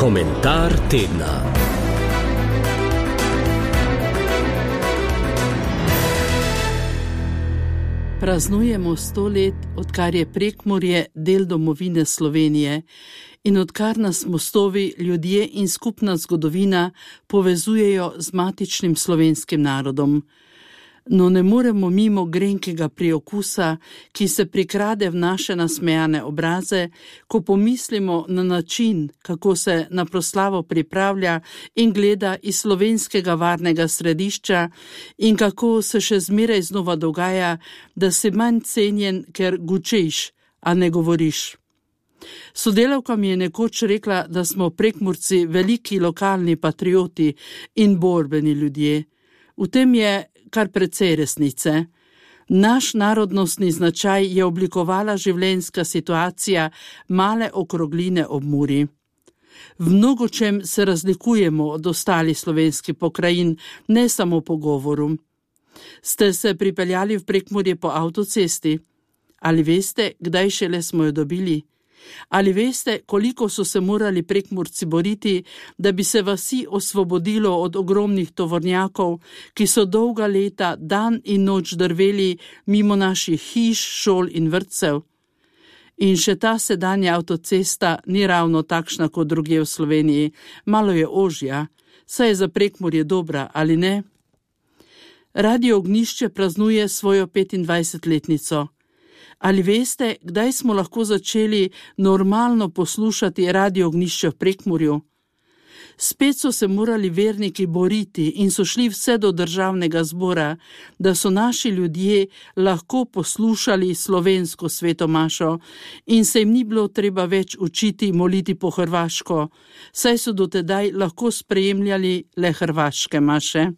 Komentar tedna. Praznujemo 100 let, odkar je Prekmurje del domovine Slovenije in odkar nas mostovi, ljudje in skupna zgodovina povezujejo z matičnim slovenskim narodom. No, ne moremo mimo grenkega priokusa, ki se prikrade v naše nasmejane obraze, ko pomislimo na način, kako se na proslavo pripravlja in gleda iz slovenskega varnega središča in kako se še zmeraj znova dogaja, da si manj cenjen, ker gučiš, a ne govoriš. Sodelavka mi je nekoč rekla, da smo Prekmurci veliki lokalni patrioti in borbeni ljudje. V tem je kar precej resnice. Naš narodnostni značaj je oblikovala življenjska situacija male okrogline ob Muri. V mnogočem se razlikujemo od ostalih slovenskih pokrajin, ne samo po govoru. Ste se pripeljali v Prekmurje po avtocesti? Ali veste, kdaj šele smo jo dobili? Ali veste, koliko so se morali Prekmurci boriti, da bi se vasi osvobodilo od ogromnih tovornjakov, ki so dolga leta dan in noč drveli mimo naših hiš, šol in vrtcev? In še ta sedanja avtocesta ni ravno takšna kot drugje v Sloveniji, malo je ožja, saj je za Prekmurje dobra, ali ne? Radio Ognjišče praznuje svojo 25-letnico. Ali veste, kdaj smo lahko začeli normalno poslušati Radio Ognjišče v Prekmurju? Spet so se morali verniki boriti in so šli vse do državnega zbora, da so naši ljudje lahko poslušali slovensko svetomašo in se jim ni bilo treba več učiti moliti po hrvaško, saj so dotedaj lahko sprejemljali le hrvaške maše.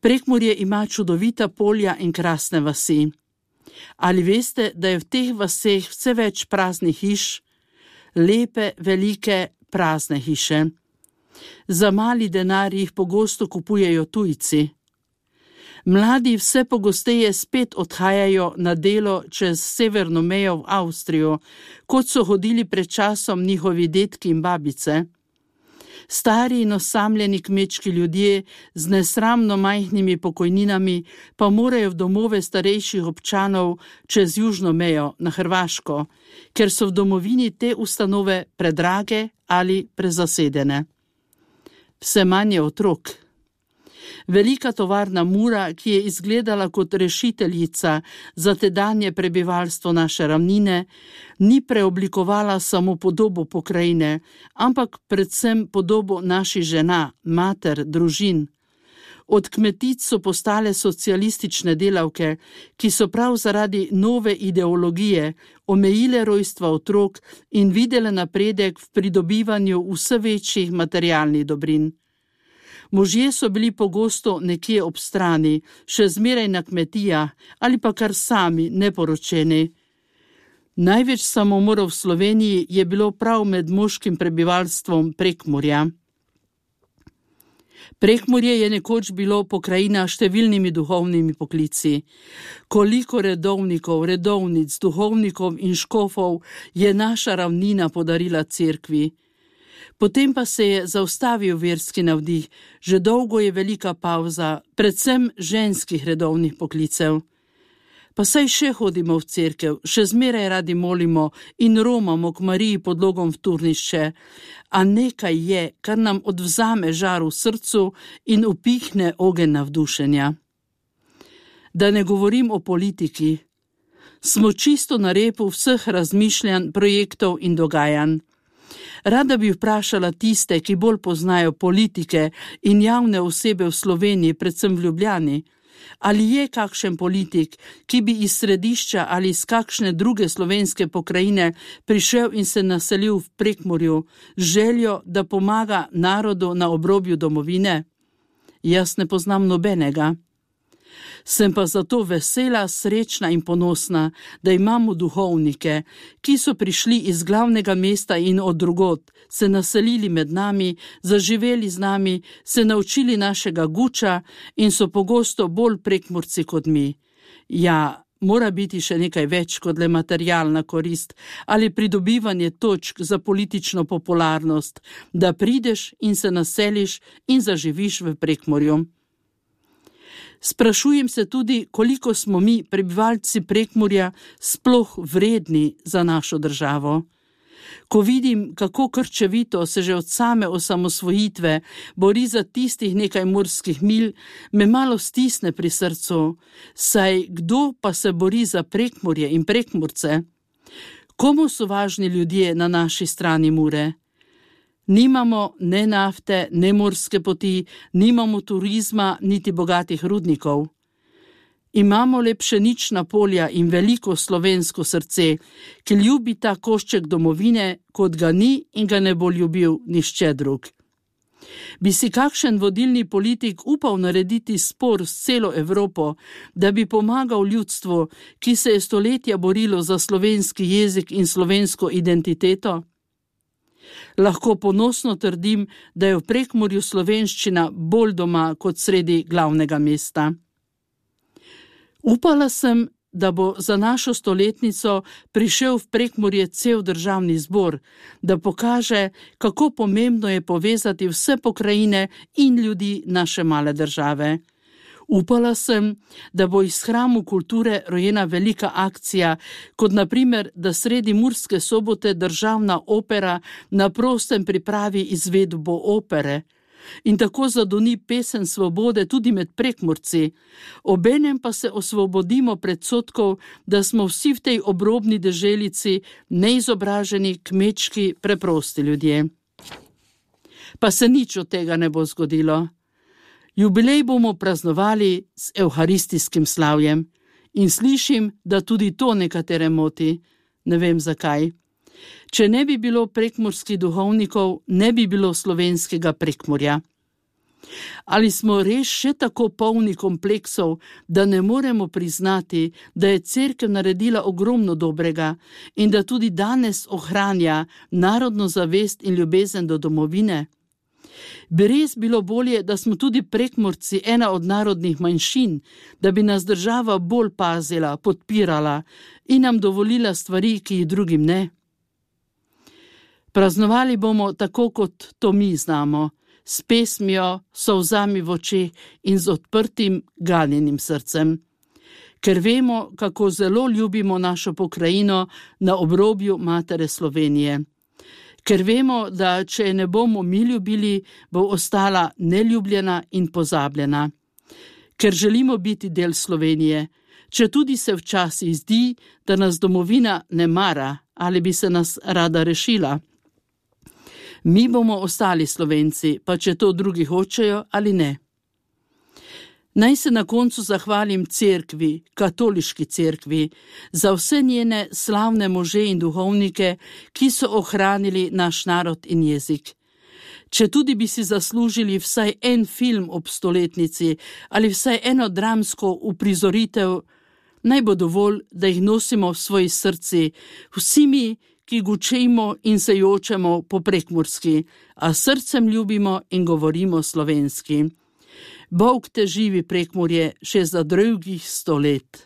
Prekmurje ima čudovita polja in krasne vasi. Ali veste, da je v teh vaseh vse več praznih hiš, lepe, velike, prazne hiše? Za mali denar jih pogosto kupujejo tujci. Mladi vse pogosteje spet odhajajo na delo čez severno mejo v Avstrijo, kot so hodili pred časom njihovi dedki in babice. Stari in osamljeni kmečki ljudje z nesramno majhnimi pokojninami pa morajo v domove starejših občanov čez južno mejo na Hrvaško, ker so v domovini te ustanove predrage ali prezasedene. Vse manj je otrok. Velika tovarna Mura, ki je izgledala kot rešiteljica za tedanje prebivalstvo naše ravnine, ni preoblikovala samo podobo pokrajine, ampak predvsem podobo naših žena, mater, družin. Od kmetic so postale socialistične delavke, ki so prav zaradi nove ideologije omejile rojstva otrok in videle napredek v pridobivanju vse večjih materialnih dobrin. Možje so bili pogosto nekje ob strani, še zmeraj na kmetijah ali pa kar sami, neporočeni. Največ samomorov v Sloveniji je bilo prav med moškim prebivalstvom Prekmurja. Prekmurje je nekoč bilo pokrajina številnimi duhovnimi poklici. Koliko redovnikov, redovnic, duhovnikov in škofov je naša ravnina podarila cerkvi. Potem pa se je zaustavil verski navdih, že dolgo je velika pavza, predvsem ženskih redovnih poklicev. Pa saj še hodimo v cerkev, še zmeraj radi molimo in romamo k Mariji pod logom v turnišče, a nekaj je, kar nam odvzame žar v srcu in upihne ogenj navdušenja. Da ne govorim o politiki. Smo čisto na repu vseh razmišljanj, projektov in dogajanj. Rada bi vprašala tiste, ki bolj poznajo politike in javne osebe v Sloveniji, predvsem v Ljubljani, ali je kakšen politik, ki bi iz središča ali iz kakšne druge slovenske pokrajine prišel in se naselil v Prekmurju z željo, da pomaga narodu na obrobju domovine? Jaz ne poznam nobenega. Sem pa zato vesela, srečna in ponosna, da imamo duhovnike, ki so prišli iz glavnega mesta in od drugod, se naselili med nami, zaživeli z nami, se naučili našega guča in so pogosto bolj Prekmurci kot mi. Ja, mora biti še nekaj več kot le materialna korist ali pridobivanje točk za politično popularnost, da prideš in se naseliš in zaživiš v Prekmurju. Sprašujem se tudi, koliko smo mi, prebivalci Prekmurja, sploh vredni za našo državo. Ko vidim, kako krčevito se že od same osamosvojitve bori za tistih nekaj morskih milj, me malo stisne pri srcu, saj kdo pa se bori za Prekmurje in Prekmurce? Komu so važni ljudje na naši strani Mure? Nimamo ne nafte, ne morske poti, nimamo turizma, niti bogatih rudnikov. Imamo le pšenična polja in veliko slovensko srce, ki ljubi ta košček domovine, kot ga ni in ga ne bo ljubil nišče drug. Bi si kakšen vodilni politik upal narediti spor s celo Evropo, da bi pomagal ljudstvu, ki se je stoletja borilo za slovenski jezik in slovensko identiteto? Lahko ponosno trdim, da je v Prekmurju slovenščina bolj doma kot sredi glavnega mesta. Upala sem, da bo za našo stoletnico prišel v Prekmurje cel državni zbor, da pokaže, kako pomembno je povezati vse pokrajine in ljudi naše male države. Upala sem, da bo iz Hramu kulture rojena velika akcija, kot na primer, da sredi Murske Sobote državna opera na prostem pripravi izvedbo opere in tako zadoni pesem svobode tudi med Prekmurci, obenem pa se osvobodimo predsodkov, da smo vsi v tej obrobni deželici neizobraženi, kmečki, preprosti ljudje. Pa se nič od tega ne bo zgodilo. Jubilej bomo praznovali s evharistijskim slavjem in slišim, da tudi to nekatere moti. Ne vem zakaj. Če ne bi bilo prekmurskih duhovnikov, ne bi bilo slovenskega Prekmurja. Ali smo res še tako polni kompleksov, da ne moremo priznati, da je cerkev naredila ogromno dobrega in da tudi danes ohranja narodno zavest in ljubezen do domovine? Bi res bilo bolje, da smo tudi Prekmurci ena od narodnih manjšin, da bi nas država bolj pazila, podpirala in nam dovolila stvari, ki jih drugim ne? Praznovali bomo tako, kot to mi znamo, s pesmijo, solzami v očeh in z odprtim, ganjenim srcem. Ker vemo, kako zelo ljubimo našo pokrajino na obrobju matere Slovenije. Ker vemo, da če je ne bomo mi ljubili, bo ostala neljubljena in pozabljena. Ker želimo biti del Slovenije, če tudi se včasih zdi, da nas domovina ne mara ali bi se nas rada rešila. Mi bomo ostali Slovenci, pa če to drugi hočejo ali ne. Naj se na koncu zahvalim cerkvi, katoliški cerkvi, za vse njene slavne može in duhovnike, ki so ohranili naš narod in jezik. Če tudi bi si zaslužili vsaj en film ob stoletnici ali vsaj eno dramsko uprizoritev, naj bo dovolj, da jih nosimo v svoji srci, vsi mi, ki gučimo in se jočemo po prekmurski, a srcem ljubimo in govorimo slovenski. Bog te živi, Prekmurje, še za drugih 100 let.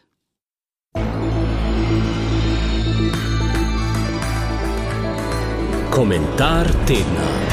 Komentar tedna.